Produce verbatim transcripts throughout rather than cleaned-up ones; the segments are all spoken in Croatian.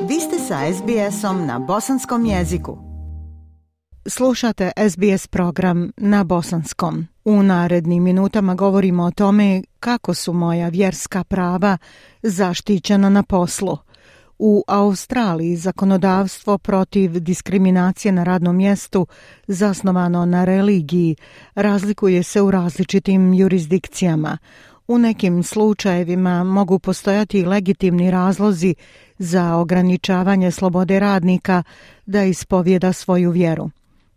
Vi ste sa es be esom na bosanskom jeziku. Slušate es be es program na bosanskom. U narednim minutama govorimo o tome kako su moja vjerska prava zaštićena na poslu. U Australiji zakonodavstvo protiv diskriminacije na radnom mjestu zasnovano na religiji razlikuje se u različitim jurisdikcijama. U nekim slučajevima mogu postojati legitimni razlozi za ograničavanje slobode radnika da ispovjeda svoju vjeru.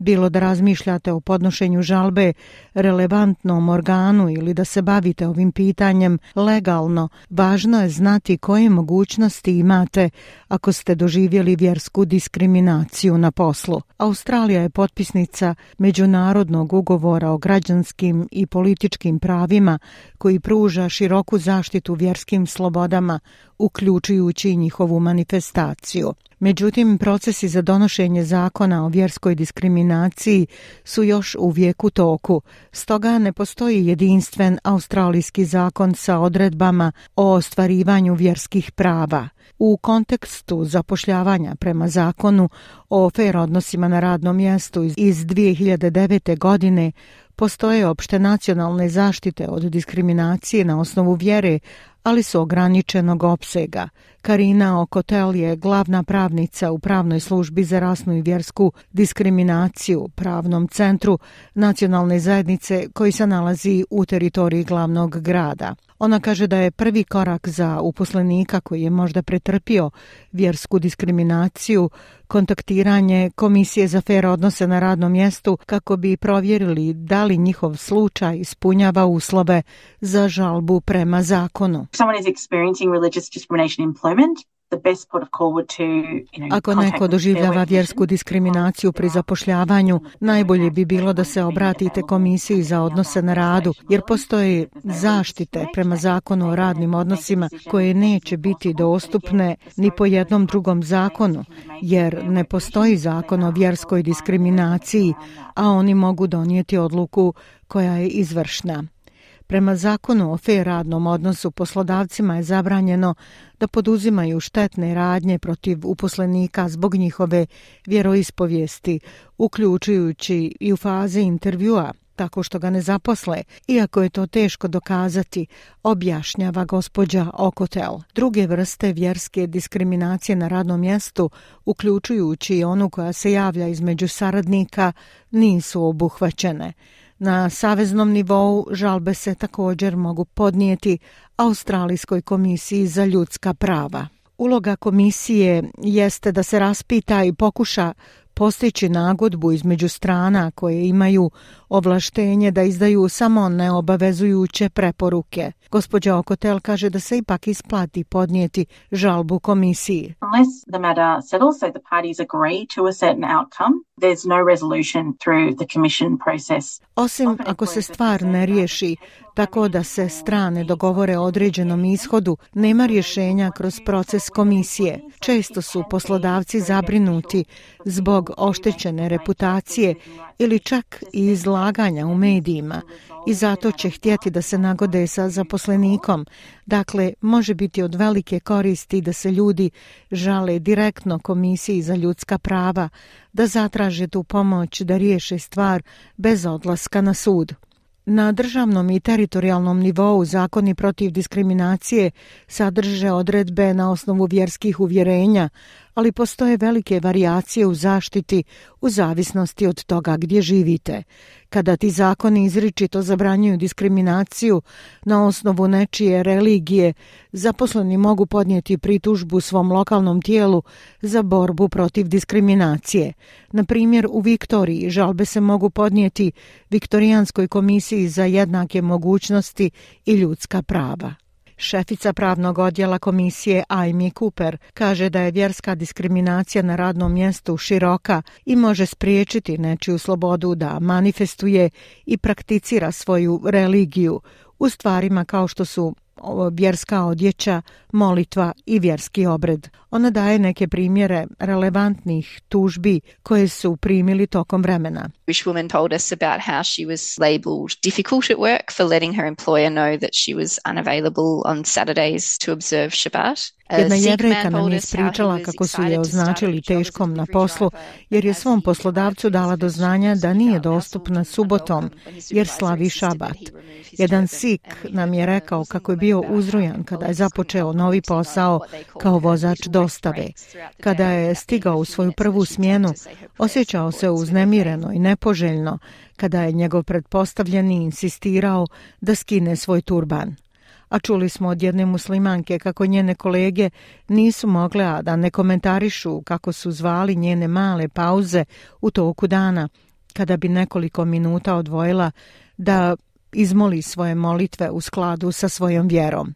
Bilo da razmišljate o podnošenju žalbe relevantnom organu ili da se bavite ovim pitanjem legalno, važno je znati koje mogućnosti imate ako ste doživjeli vjersku diskriminaciju na poslu. Australija je potpisnica Međunarodnog ugovora o građanskim i političkim pravima koji pruža široku zaštitu vjerskim slobodama, uključujući njihovu manifestaciju. Međutim, procesi za donošenje zakona o vjerskoj diskriminaciji su još uvijek u toku. Stoga ne postoji jedinstven australijski zakon sa odredbama o ostvarivanju vjerskih prava. U kontekstu zapošljavanja prema zakonu o fer odnosima na radnom mjestu iz dvije hiljade devete. godine postoje opšte nacionalne zaštite od diskriminacije na osnovu vjere, ali su ograničenog opsega. Karina Okotel je glavna pravnica u pravnoj službi za rasnu i vjersku diskriminaciju pravnom centru nacionalne zajednice koji se nalazi u teritoriji glavnog grada. Ona kaže da je prvi korak za uposlenika koji je možda pretrpio vjersku diskriminaciju kontaktiranje Komisije za fer odnose na radnom mjestu kako bi provjerili da li njihov slučaj ispunjava uslove za žalbu prema zakonu. Ako neko doživljava vjersku diskriminaciju pri zapošljavanju, najbolje bi bilo da se obratite Komisiji za odnose na radu, jer postoje zaštite prema zakonu o radnim odnosima koje neće biti dostupne ni po jednom drugom zakonu, jer ne postoji zakon o vjerskoj diskriminaciji, a oni mogu donijeti odluku koja je izvršna. Prema zakonu o fer radnom odnosu poslodavcima je zabranjeno da poduzimaju štetne radnje protiv uposlenika zbog njihove vjeroispovijesti, uključujući i u fazi intervjua, tako što ga ne zaposle, iako je to teško dokazati, objašnjava gospođa Okotel. Druge vrste vjerske diskriminacije na radnom mjestu, uključujući i onu koja se javlja između saradnika, nisu obuhvaćene. Na saveznom nivou žalbe se također mogu podnijeti Australijskoj komisiji za ljudska prava. Uloga komisije jeste da se raspita i pokuša postići nagodbu između strana koje imaju ovlaštenje da izdaju samo neobavezujuće preporuke. Gospođa Okotel kaže da se ipak isplati podnijeti žalbu komisiji. Unless the matter settles, so the parties agree to a certain outcome, there's no resolution through the commission process. Osim ako se stvar ne riješi tako da se strane dogovore o određenom ishodu, nema rješenja kroz proces komisije. Često su poslodavci zabrinuti zbog oštećene reputacije ili čak i izlaganja u medijima i zato će htjeti da se nagode sa zaposlenikom. Dakle, može biti od velike koristi da se ljudi žale direktno Komisiji za ljudska prava, da zatraže tu pomoć da riješe stvar bez odlaska na sud. Na državnom i teritorijalnom nivou zakoni protiv diskriminacije sadrže odredbe na osnovu vjerskih uvjerenja, ali postoje velike varijacije u zaštiti u zavisnosti od toga gdje živite. Kada ti zakoni izričito zabranjuju diskriminaciju na osnovu nečije religije, zaposleni mogu podnijeti pritužbu svom lokalnom tijelu za borbu protiv diskriminacije. Na primjer, u Viktoriji žalbe se mogu podnijeti Viktorijanskoj komisiji za jednake mogućnosti i ljudska prava. Šefica pravnog odjela komisije Amy Cooper kaže da je vjerska diskriminacija na radnom mjestu široka i može spriječiti nečiju slobodu da manifestuje i prakticira svoju religiju u stvarima kao što su vjerska odjeća, molitva i vjerski obred. Ona daje neke primjere relevantnih tužbi koje su primili tokom vremena. Jewish woman told us about how she was labelled difficult at work for letting her employer know that she was unavailable on Saturdays to observe Shabbat. Jedna Jevrejka nam je ispričala kako su je označili teškom na poslu jer je svom poslodavcu dala do znanja da nije dostupna subotom jer slavi šabat. Jedan Sik nam je rekao kako je bio uzrujan kada je započeo novi posao kao vozač dostave. Kada je stigao u svoju prvu smjenu, osjećao se uznemireno i nepoželjno kada je njegov pretpostavljeni insistirao da skine svoj turban. A čuli smo od jedne muslimanke kako njene kolege nisu mogle a da ne komentarišu kako su zvali njene male pauze u toku dana, kada bi nekoliko minuta odvojila da izmoli svoje molitve u skladu sa svojom vjerom.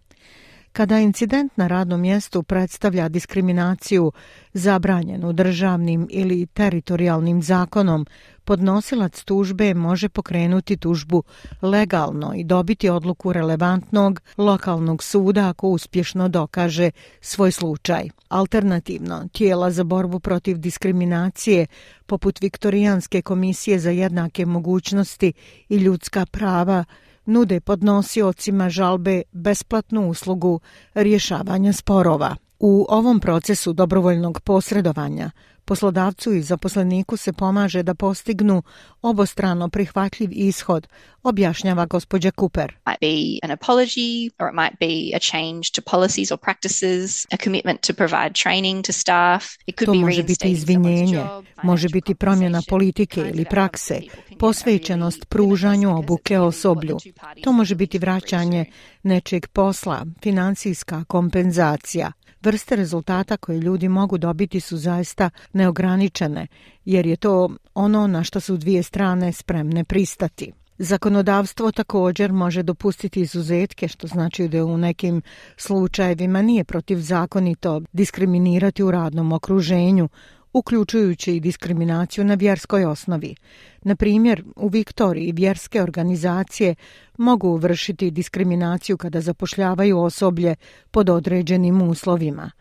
Kada incident na radnom mjestu predstavlja diskriminaciju zabranjenu državnim ili teritorijalnim zakonom, podnosilac tužbe može pokrenuti tužbu legalno i dobiti odluku relevantnog lokalnog suda ako uspješno dokaže svoj slučaj. Alternativno, tijela za borbu protiv diskriminacije, poput Viktorijanske komisije za jednake mogućnosti i ljudska prava, nude podnosiocima žalbe besplatnu uslugu rješavanja sporova. U ovom procesu dobrovoljnog posredovanja poslodavcu i zaposleniku se pomaže da postignu obostrano prihvatljiv ishod, objašnjava gospođa Cooper. Might be an apology, or it might be a change to policies or practices, a commitment to provide training to staff. It could to be može biti izvinjenje, može biti promjena politike ili prakse, posvećenost pružanju obuke osoblju. To može biti vraćanje nečeg posla, financijska kompenzacija. Vrste rezultata koje ljudi mogu dobiti su zaista neograničene, jer je to ono na što su dvije strane spremne pristati. Zakonodavstvo također može dopustiti izuzetke, što znači da u nekim slučajevima nije protivzakonito diskriminirati u radnom okruženju, uključujući i diskriminaciju na vjerskoj osnovi. Na primjer, u Viktoriji vjerske organizacije mogu vršiti diskriminaciju kada zapošljavaju osoblje pod određenim uslovima.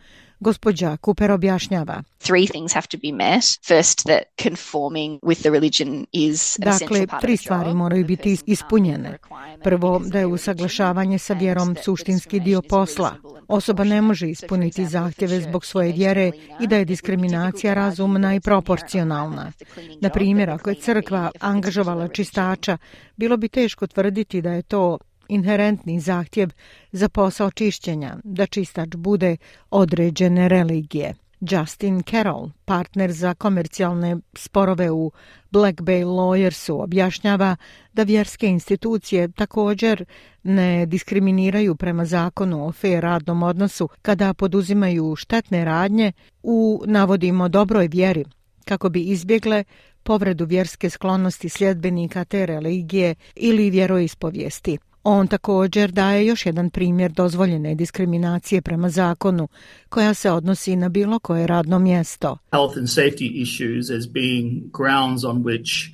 Gospođa Cooper objašnjava. Three things have to be met. First, that conforming with the religion is an essential Dakle, part of tri the stvari job. moraju biti ispunjene. Prvo, da je usaglašavanje sa vjerom suštinski dio posla. Osoba ne može ispuniti zahtjeve zbog svoje vjere i da je diskriminacija razumna i proporcionalna. Na primjer, ako je crkva angažovala čistača, bilo bi teško tvrditi da je to inherentni zahtjev za posao čišćenja, da čistač bude određene religije. Justin Carroll, partner za komercijalne sporove u Black Bay Lawyersu, objašnjava da vjerske institucije također ne diskriminiraju prema zakonu o fair radnom odnosu kada poduzimaju štetne radnje u, navodimo, dobroj vjeri, kako bi izbjegle povredu vjerske sklonosti sljedbenika te religije ili vjeroispovijesti. On također daje još jedan primjer dozvoljene diskriminacije prema zakonu, koja se odnosi na bilo koje radno mjesto. Health and safety issues as being grounds on which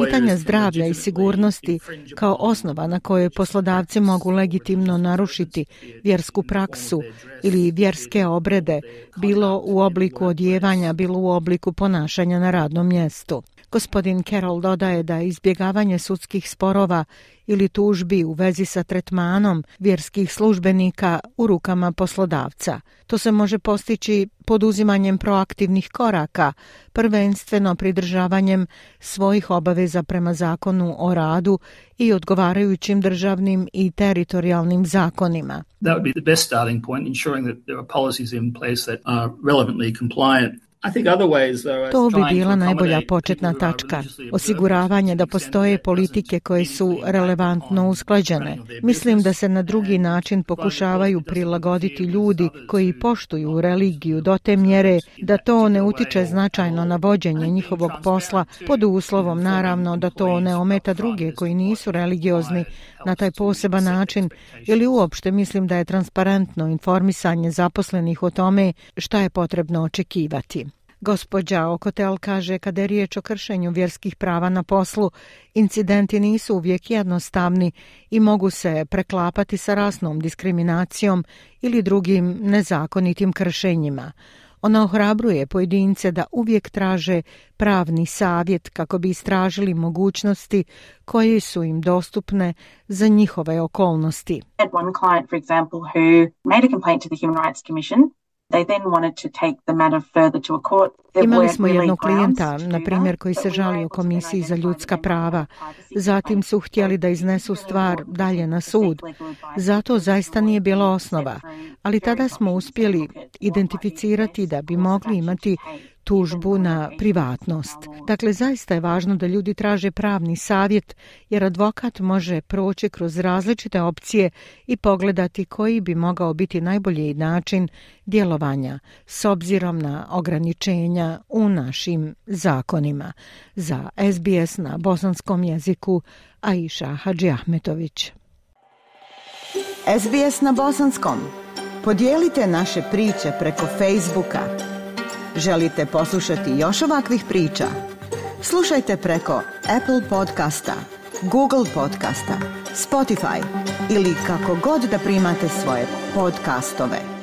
Pitanja zdravlja i sigurnosti kao osnova na kojoj poslodavci mogu legitimno narušiti vjersku praksu ili vjerske obrede, bilo u obliku odjevanja, bilo u obliku ponašanja na radnom mjestu. Gospodin Carroll dodaje da izbjegavanje sudskih sporova ili tužbi u vezi sa tretmanom vjerskih službenika u rukama poslodavca. To se može postići poduzimanjem proaktivnih koraka, prvenstveno pridržavanjem svojih obaveza prema zakonu o radu i odgovarajućim državnim i teritorijalnim zakonima. That would be the best starting point, ensuring that there are policies in place that are relevantly compliant. To bi bila najbolja početna tačka. Osiguravanje da postoje politike koje su relevantno usklađene. Mislim da se na drugi način pokušavaju prilagoditi ljudi koji poštuju religiju do te mjere da to ne utiče značajno na vođenje njihovog posla, pod uslovom naravno da to ne ometa druge koji nisu religiozni na taj poseban način, ili uopšte mislim da je transparentno informisanje zaposlenih o tome šta je potrebno očekivati. Gospođa Okotel kaže kada je riječ o kršenju vjerskih prava na poslu, incidenti nisu uvijek jednostavni i mogu se preklapati sa rasnom diskriminacijom ili drugim nezakonitim kršenjima. Ona ohrabruje pojedince da uvijek traže pravni savjet kako bi istražili mogućnosti koje su im dostupne za njihove okolnosti. I had one client, for example, who made a complaint to the Human Rights Commission. They then wanted to take the matter further to a court. Imali smo jednog klijenta, na primjer, koji se žalio Komisiji za ljudska prava. Zatim su htjeli da iznesu stvar dalje na sud. Zato zaista nije bila osnova. Ali tada smo uspjeli identificirati da bi mogli imati tužbu na privatnost. Dakle, zaista je važno da ljudi traže pravni savjet, jer advokat može proći kroz različite opcije i pogledati koji bi mogao biti najbolji način djelovanja s obzirom na ograničenja u našim zakonima. Za S B S na bosanskom jeziku, Aisha Hadžiahmetović. S B S na bosanskom. Podijelite naše priče preko Facebooka. Želite poslušati još ovakvih priča? Slušajte preko Apple podcasta, Google podcasta, Spotify ili kako god da primate svoje podcastove.